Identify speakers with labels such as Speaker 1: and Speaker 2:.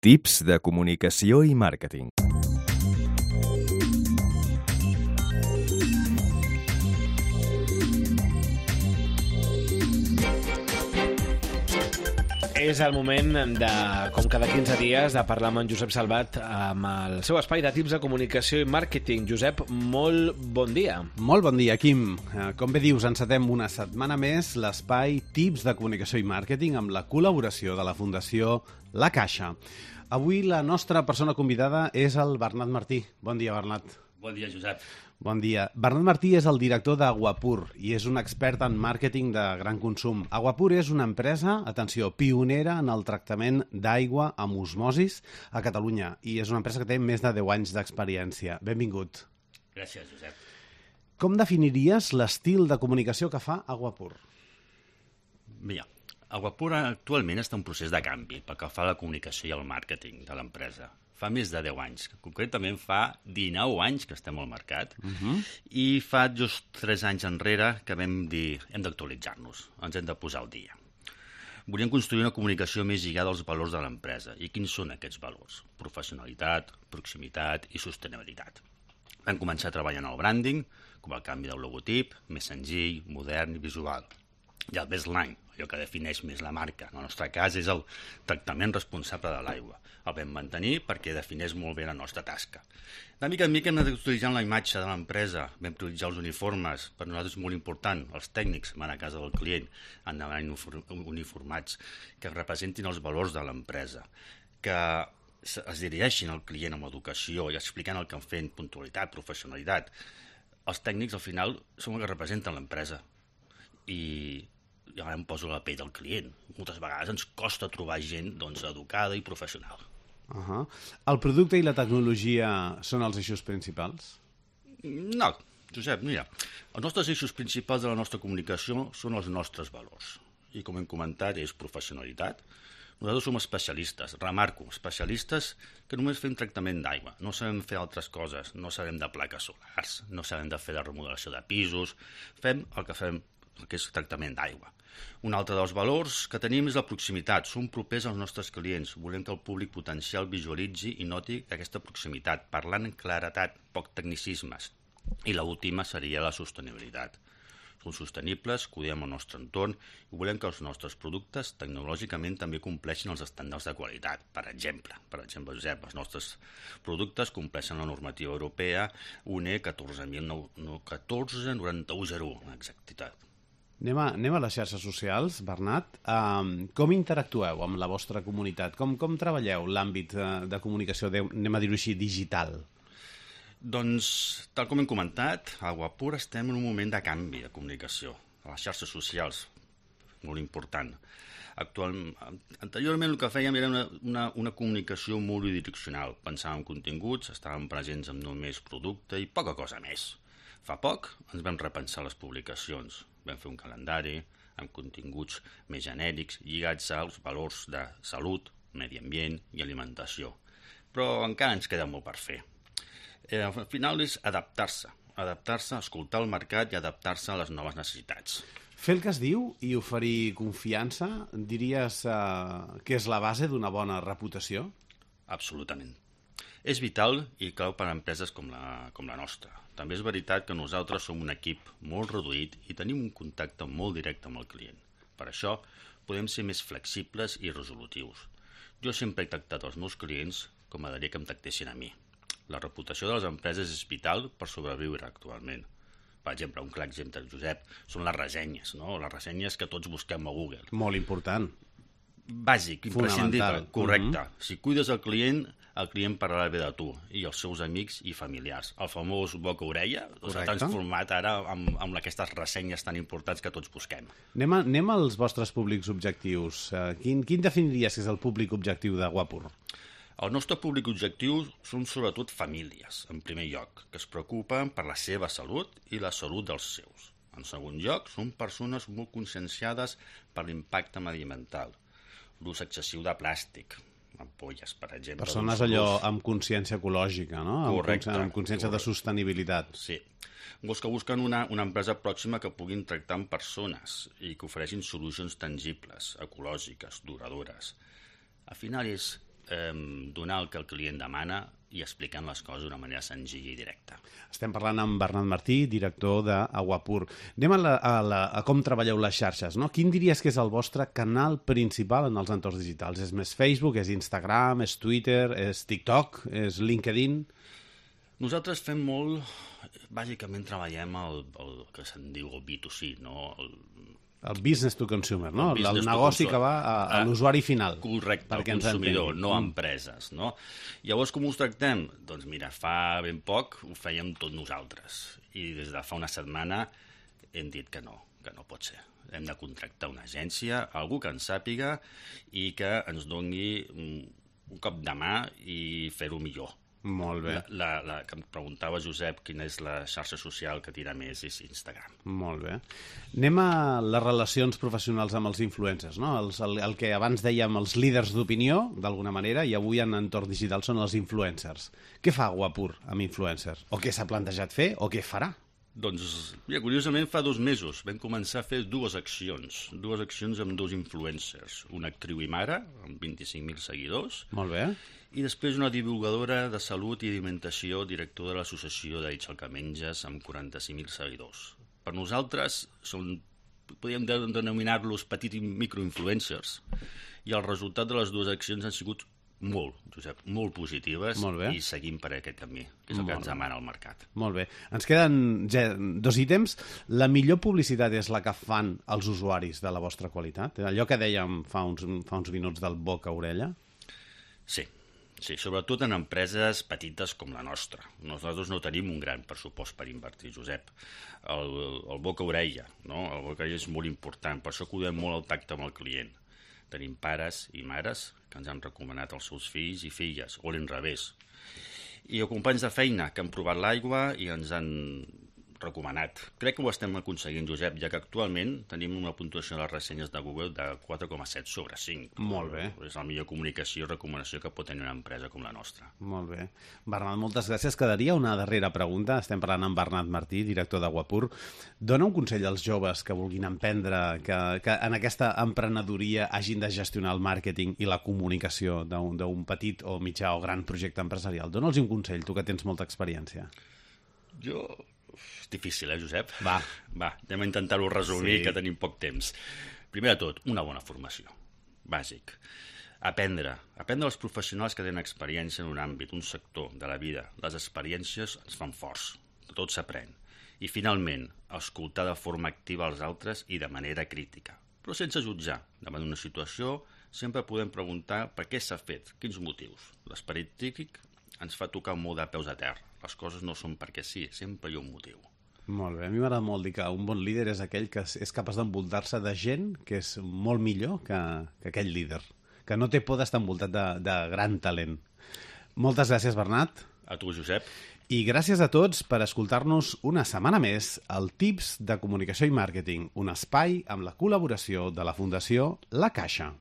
Speaker 1: Tips de comunicació i màrqueting.
Speaker 2: És el moment de, com cada 15 dies, de parlar amb en Josep Salvat amb el seu espai de tips de comunicació i màrqueting. Josep, molt bon dia.
Speaker 3: Molt bon dia, Quim. Com bé dius, encetem una setmana més l'espai Tips de comunicació i màrqueting amb la col·laboració de la Fundació La Caixa. Avui la nostra persona convidada és el Bernat Martí. Bon dia, Bernat.
Speaker 4: Bon dia, Josep.
Speaker 3: Bon dia. Bernat Martí és el director d'Aguapur i és un expert en màrqueting de gran consum. Aguapur és una empresa, atenció, pionera en el tractament d'aigua amb osmosis a Catalunya i és una empresa que té més de 10 anys d'experiència. Benvingut.
Speaker 4: Gràcies, Josep.
Speaker 3: Com definiries l'estil de comunicació que fa Aguapur?
Speaker 4: Mira, Aguapur actualment està en procés de canvi pel que fa a la comunicació i al màrqueting de l'empresa. Fa més de 10 anys, concretament fa 19 anys que estem al mercat, i fa just 3 anys enrere que vam dir hem d'actualitzar-nos, ens hem de posar al dia. Volíem construir una comunicació més lligada als valors de l'empresa. I quins són aquests valors? Professionalitat, proximitat i sostenibilitat. Vam començar a treballar en el branding, com el canvi del logotip, més senzill, modern i visual. I el baseline, allò que defineix més la marca. En el nostre cas és el tractament responsable de l'aigua. El vam mantenir perquè defineix molt bé la nostra tasca. De mica en mica hem anat utilitzant la imatge de l'empresa, vam utilitzar els uniformes, per nosaltres és molt important, els tècnics van a casa del client, han d'anar uniformats, que representin els valors de l'empresa, que es dirigeixin al client amb educació i explicant el que han fet, puntualitat, professionalitat. Els tècnics al final són els que representen l'empresa i ara em poso la pell del client. Moltes vegades ens costa trobar gent educada i professional.
Speaker 3: El producte i la tecnologia són els eixos principals?
Speaker 4: No, Josep, mira, els nostres eixos principals de la nostra comunicació són els nostres valors. I com hem comentat, és professionalitat. Nosaltres som especialistes, remarco, especialistes que només fem tractament d'aigua. No sabem fer altres coses, no sabem de plaques solars, no sabem de fer de remodelació de pisos, fem el que és tractament d'aigua. Un altre dels valors que tenim és la proximitat. Som propers als nostres clients. Volem que el públic potencial visualitzi i noti aquesta proximitat, parlant en claretat, poc tecnicismes. I l'última seria la sostenibilitat. Som sostenibles, cuidem el nostre entorn i volem que els nostres productes tecnològicament també compleixin els estàndards de qualitat. Per exemple, Josep, els nostres productes compleixen la normativa europea UNE 149101, amb exactitat.
Speaker 3: Anem a les xarxes socials, Bernat. Com interactueu amb la vostra comunitat? Com treballeu l'àmbit de comunicació, anem a dir-ho així, digital?
Speaker 4: Doncs, tal com hem comentat, a Aguapur estem en un moment de canvi de comunicació. A les xarxes socials, molt important. Anteriorment el que fèiem era una comunicació molt bidireccional. Pensàvem en continguts, estàvem presents amb només producte i poca cosa més. Fa poc ens vam repensar les publicacions. Vam fer un calendari amb continguts més genèrics lligats als valors de salut, medi ambient i alimentació. Però encara ens queda molt per fer. Al final és adaptar-se, escoltar el mercat i adaptar-se a les noves necessitats.
Speaker 3: Fer el que es diu i oferir confiança, diries que és la base d'una bona reputació?
Speaker 4: Absolutament. És vital i clau per a empreses com la nostra. També és veritat que nosaltres som un equip molt reduït i tenim un contacte molt directe amb el client. Per això podem ser més flexibles i resolutius. Jo sempre he tractat els meus clients com m'agradaria que em tractessin a mi. La reputació de les empreses és vital per sobreviure actualment. Per exemple, un clar exemple, Josep, són les ressenyes, no? Les ressenyes que tots busquem a Google.
Speaker 3: Molt important.
Speaker 4: Bàsic, imprescindible, correcte. Si cuides el client parlarà bé de tu i els seus amics i familiars. El famós boca-orella s'ha transformat ara amb aquestes ressenyes tan importants que tots busquem.
Speaker 3: Anem als vostres públics objectius. Quin definiries que és el públic objectiu d'Aguapur?
Speaker 4: El nostre públic objectiu són sobretot famílies, en primer lloc, que es preocupen per la seva salut i la salut dels seus. En segon lloc, són persones molt conscienciades per l'impacte mediambiental, l'ús excessiu de plàstic, ampolles, per exemple.
Speaker 3: Persones allò amb consciència ecològica, no?
Speaker 4: Correcte.
Speaker 3: Amb consciència de sostenibilitat.
Speaker 4: Sí. Vols que busquen una empresa pròxima que puguin tractar amb persones i que ofereixin solucions tangibles, ecològiques, duradores. Al final és donar el que el client demana i explicant les coses d'una manera senzilla i directa.
Speaker 3: Estem parlant amb Bernat Martí, director d'Aguapur. Anem a com treballeu les xarxes, no? Quin diries que és el vostre canal principal en els entorns digitals? És més Facebook, és Instagram, és Twitter, és TikTok, és LinkedIn?
Speaker 4: Nosaltres fem molt... Bàsicament treballem el que se'n diu el B2C, no?
Speaker 3: El business to consumer, no? El
Speaker 4: business to
Speaker 3: negoci
Speaker 4: consumer.
Speaker 3: que va a l'usuari final.
Speaker 4: Correcte, al consumidor, no a empreses, no? Llavors, com us tractem? Doncs mira, fa ben poc ho fèiem tot nosaltres. I des de fa una setmana hem dit que no pot ser. Hem de contractar una agència, algú que ens sàpiga i que ens doni un cop de mà i fer-ho millor.
Speaker 3: Molt bé.
Speaker 4: Que em preguntava, Josep, quina és la xarxa social que tira més, és Instagram.
Speaker 3: Molt bé. Anem a les relacions professionals amb els influencers, no? El que abans dèiem els líders d'opinió, d'alguna manera, i avui en entorn digital són els influencers. Què fa Aguapur amb influencers? O què s'ha plantejat fer? O què farà?
Speaker 4: Doncs, mira, curiosament fa 2 mesos vam començar a fer dues accions amb 2 influencers, una actriu i mare, amb 25.000 seguidors,
Speaker 3: Molt bé.
Speaker 4: i després una divulgadora de salut i alimentació, directora de l'associació d'Eix el que menges, amb 45.000 seguidors. Per nosaltres podríem denominar-los petits microinfluencers, i el resultat de les 2 accions han sigut molt, Josep, molt positives, i seguim per aquest camí, que és el que ens demana el mercat.
Speaker 3: Molt bé. Ens queden 2 ítems. La millor publicitat és la que fan els usuaris de la vostra qualitat? Allò que dèiem fa uns minuts del boca a orella?
Speaker 4: Sí, sobretot en empreses petites com la nostra. Nosaltres no tenim un gran pressupost per invertir, Josep. El boca a orella, no? El boca a orella és molt important, per això cuidem molt el tacte amb el client. Tenim pares i mares que ens han recomanat els seus fills i filles, o l'inrevés. I companys de feina que han provat l'aigua i ens han recomanat. Crec que ho estem aconseguint, Josep, ja que actualment tenim una puntuació de les ressenyes de Google de 4,7 sobre 5.
Speaker 3: Molt bé.
Speaker 4: És la millor comunicació i recomanació que pot tenir una empresa com la nostra.
Speaker 3: Molt bé. Bernat, moltes gràcies. Quedaria una darrera pregunta. Estem parlant amb Bernat Martí, director d'Aguapur. Dona un consell als joves que vulguin emprendre, que en aquesta emprenedoria hagin de gestionar el màrqueting i la comunicació d'un petit o mitjà o gran projecte empresarial. Dona'ls un consell, tu que tens molta experiència.
Speaker 4: És difícil, Josep?
Speaker 3: Va,
Speaker 4: anem a intentar-ho resumir, que tenim poc temps. Primer de tot, una bona formació. Bàsic. Aprendre els professionals que tenen experiència en un àmbit, un sector de la vida. Les experiències ens fan forts. Tot s'aprèn. I, finalment, escoltar de forma activa els altres i de manera crítica. Però sense jutjar. Davant d'una situació, sempre podem preguntar per què s'ha fet, quins motius. L'esperit crític ens fa tocar molt de peus a terra. Les coses no són perquè sí, sempre hi ha un motiu.
Speaker 3: Molt bé. A mi m'agrada molt dir que un bon líder és aquell que és capaç d'envoltar-se de gent que és molt millor que aquell líder, que no té por d'estar envoltat de gran talent. Moltes gràcies, Bernat.
Speaker 4: A tu, Josep.
Speaker 3: I gràcies a tots per escoltar-nos una setmana més al Tips de Comunicació i Màrqueting, un espai amb la col·laboració de la Fundació La Caixa.